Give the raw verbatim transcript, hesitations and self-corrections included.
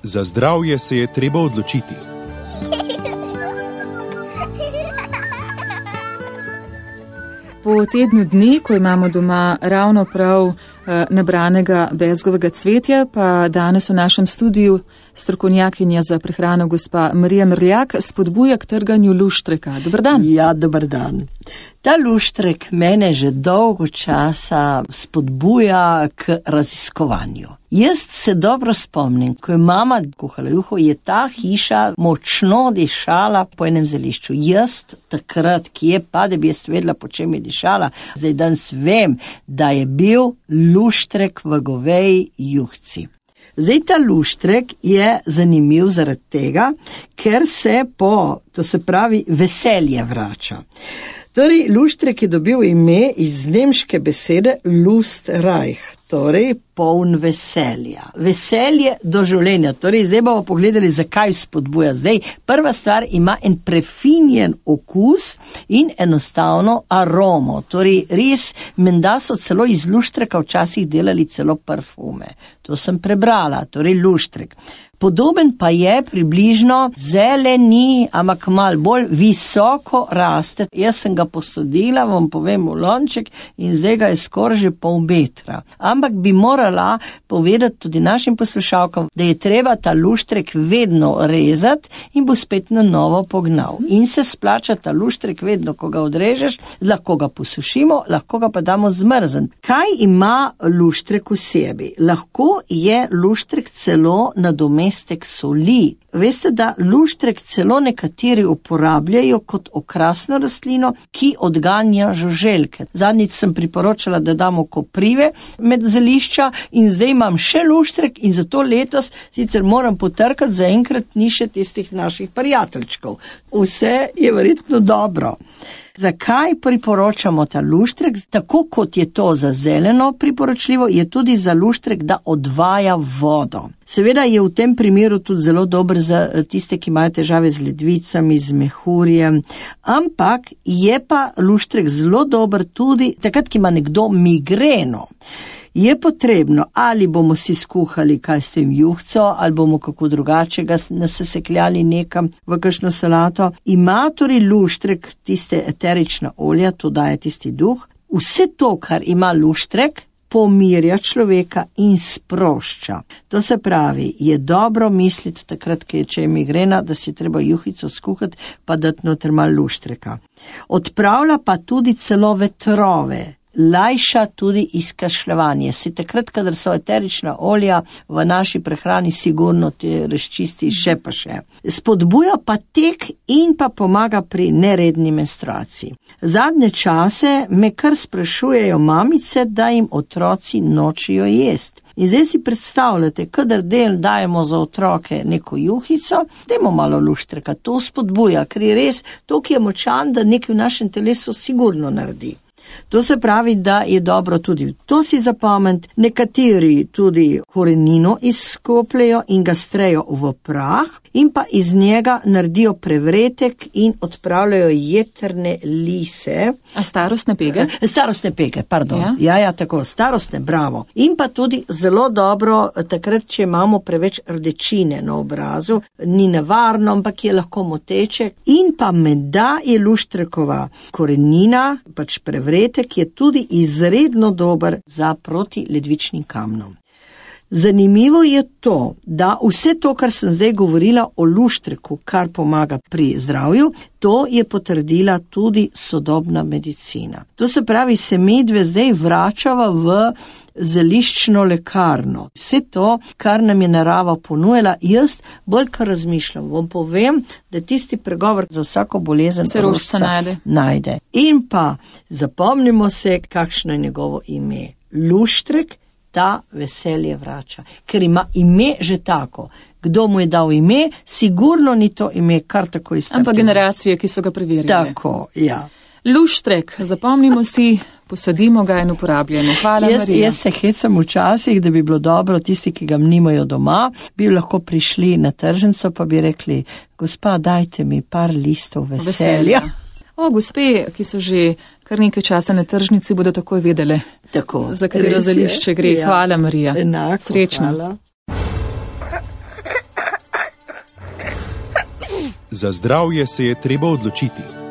Za zdravje se je treba odločiti. Po tednu dni, ko imamo doma ravno prav eh, nabranega bezgovega cvetja, pa danes v našem studiu strokovnjakinja za prehrano gospa Marija Mrljak spodbuja k trganju luštreka. Dobar dan. Ja, dobar dan. Ta luštrek mene že dolgo časa spodbuja k raziskovanju. Jaz se dobro spomnim, ko je mama kuhala juho, je ta hiša močno dišala po enem zelišču. Jaz takrat, ki je pa, da bi jaz vedela, po čem je dišala, zdaj danes vem, da je bil luštrek v goveji juhci. Zdaj ta luštrek je zanimiv zaradi tega, ker se po, to se pravi, veselje vrača. Torej, luštrek je dobil ime iz nemške besede Lustreich, torej poln veselja. Veselje do življenja. Torej, zdaj bomo pogledali, zakaj spodbuja. Zdaj, prva stvar ima en prefinjen okus in enostavno aromo. Torej, res, menda so celo iz luštreka včasih delali celo parfume. To sem prebrala, torej luštrek. Podoben pa je približno zeleni, ampak malo bolj visoko raste. Jaz sem ga posadila, vam povem, v lonček in zdaj ga je skoraj že pol metra. Ampak bi morala povedati tudi našim poslušalkam, da je treba ta luštrek vedno rezati in bo spet na novo pognal. In se splača ta luštrek vedno, ko ga odrežeš, lahko ga posušimo, lahko ga pa damo zmrzen. Kaj ima luštrek v sebi? Lahko je luštrek celo nadomestek soli. Veste, da luštrek celo nekateri uporabljajo kot okrasno rastlino, ki odganja žuželke. Zadnjič sem priporočala, da damo koprive med zelišča in zdaj imam še luštrek in zato letos sicer moram potrkati, zaenkrat ni še tistih naših prijateljčkov. Vse je verjetno dobro. Zakaj priporočamo ta luštrek? Tako kot je to za zeleno priporočljivo, je tudi za luštrek, da odvaja vodo. Seveda je v tem primeru tudi zelo dober za tiste, ki imajo težave z ledvicami, z mehurjem, ampak je pa luštrek zelo dober tudi takrat, ki ima nekdo migreno. Je potrebno, ali bomo si skuhali kaj s tem juhco, ali bomo kako drugače ga nasesekljali nekam v kakšno salato. Ima torej luštrek tiste eterična olja, to daje tisti duh. Vse to, kar ima luštrek, pomirja človeka in sprošča. To se pravi, je dobro misliti takrat, če je migrena, da si treba juhico skuhati, pa dati noter malo luštreka. Odpravlja pa tudi celo vetrove. Lajša tudi izkašljevanje. Si takrat, kadar so eterična olja v naši prehrani, sigurno te razčisti še pa še. Spodbuja pa tek in pa pomaga pri neredni menstruaciji. Zadnje čase me kar sprašujejo mamice, da jim otroci nočijo jesti. In zdaj si predstavljate, kadar del dajemo za otroke neko juhico, dajmo malo luštreka. To spodbuja, ker je res to, ki je močan, da nekaj v našem telesu sigurno naredi. To se pravi, da je dobro tudi to si zapomniti. Nekateri tudi korenino izkopljajo in ga strejo v prah in pa iz njega naredijo prevretek in odpravljajo jetrne lise. A starostne pege? Starostne pege, pardon. Ja, ja, ja tako, starostne, bravo. In pa tudi zelo dobro, takrat, če imamo preveč rdečine na obrazu, ni nevarno, ampak je lahko moteče. In pa menda je luštrekova korenina, pač prevretek, je tudi izredno dober za proti ledvičnim kamnom. Zanimivo je to, da vse to, kar sem zdaj govorila o luštreku, kar pomaga pri zdravju, to je potrdila tudi sodobna medicina. To se pravi, se medve zdaj vračava v zeliščno lekarno. Vse to, kar nam je narava ponujala, jaz bolj kar razmišljam, vam povem, da tisti pregovor za vsako bolezen se rožca najde. najde. In pa zapomnimo se, kakšno je njegovo ime. Luštrek ta veselje vrača, ker ima ime že tako. Kdo mu je dal ime, sigurno ni to ime kar tako iztrpiti. Ampak generacije, ki so ga preverjali. Tako, ja. Luštrek, zapomnimo si, posadimo ga in uporabljamo. Hvala, jaz, Marija. Jaz se hecam včasih, da bi bilo dobro, tisti, ki ga nimajo doma, bi lahko prišli na tržnico, pa bi rekli, gospa, dajte mi par listov veselja. veselja. O, gospe, ki so že kar nekaj časa na tržnici, bodo takoj vedele, tako, za katero zelišče gre. Ja. Hvala, Marija. Enako, srečno. Hvala. Za zdravje se je treba odločiti.